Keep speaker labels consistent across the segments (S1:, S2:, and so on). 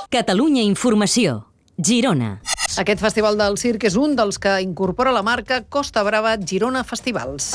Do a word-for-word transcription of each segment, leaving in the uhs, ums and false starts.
S1: Catalunya Informació, Girona.
S2: Aquest festival del circ és un dels que incorpora la marca Costa Brava Girona Festivals.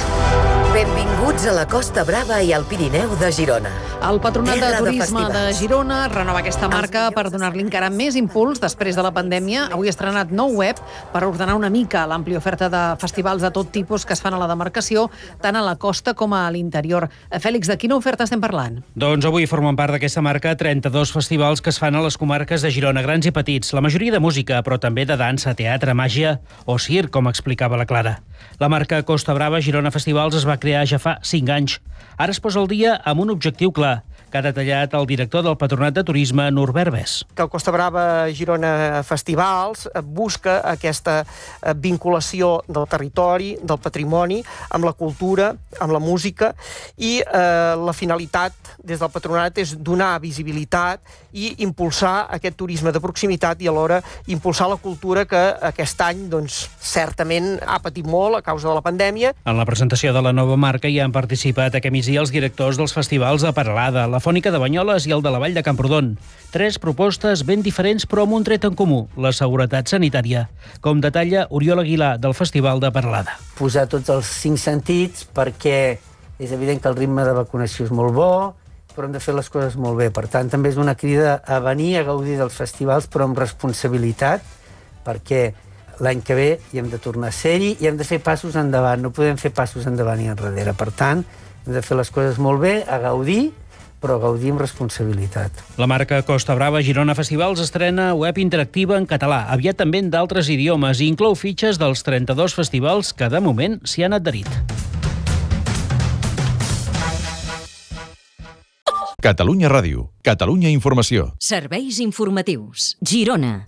S3: Benvinguts a la Costa Brava i al Pirineu de Girona.
S2: El Patronat de
S3: Terra de
S2: Turisme de,
S3: festivals.
S2: Girona renova aquesta marca per donar-li encara més impuls després de la pandèmia. Avui ha estrenat nou web per ordenar una mica l'àmplia oferta de festivals de tot tipus que es fan a la demarcació, tant a la costa com a l'interior. Fèlix, de quina oferta estem parlant?
S4: Doncs avui formen part d'aquesta marca trenta-dos festivals que es fan a les comarques de Girona, grans i petits, la majoria de música, però també de dansa, teatre, màgia o circ, com explicava la Clara. La marca Costa Brava Girona Festivals es va crear ja fa cinc anys. Ara es posa al dia amb un objectiu clar, que ha detallat el director del Patronat de Turisme, Norbert Bes.
S5: Que el Costa Brava Girona Festivals busca aquesta vinculació del territori, del patrimoni, amb la cultura, amb la música, i eh, la finalitat des del Patronat és donar visibilitat i impulsar aquest turisme de proximitat i alhora impulsar la cultura que aquest any, doncs, certament ha patit molt a causa de la pandèmia.
S4: En la presentació de la nova marca hi han participat aquest migdia els directors dels festivals de Peralada, la Fònica de Banyoles i el de la Vall de Camprodon. Tres propostes ben diferents però amb un tret en comú, la seguretat sanitària, com detalla Oriol Aguilar del Festival de Peralada.
S6: Posar tots els cinc sentits perquè és evident que el ritme de vacunació és molt bo, però hem de fer les coses molt bé. Per tant, també és una crida a venir a gaudir dels festivals, però amb responsabilitat, perquè l'any que ve hi hem de tornar a ser-hi i hem de fer passos endavant, no podem fer passos endavant i enrere. Per tant, hem de fer les coses molt bé, a gaudir, però gaudir amb responsabilitat.
S4: La marca Costa Brava Girona Festivals estrena web interactiva en català, aviat també en d'altres idiomes, i inclou fitxes dels trenta-dos festivals que de moment s'hi han adherit.
S7: Catalunya Ràdio, Catalunya Informació.
S1: Serveis informatius, Girona.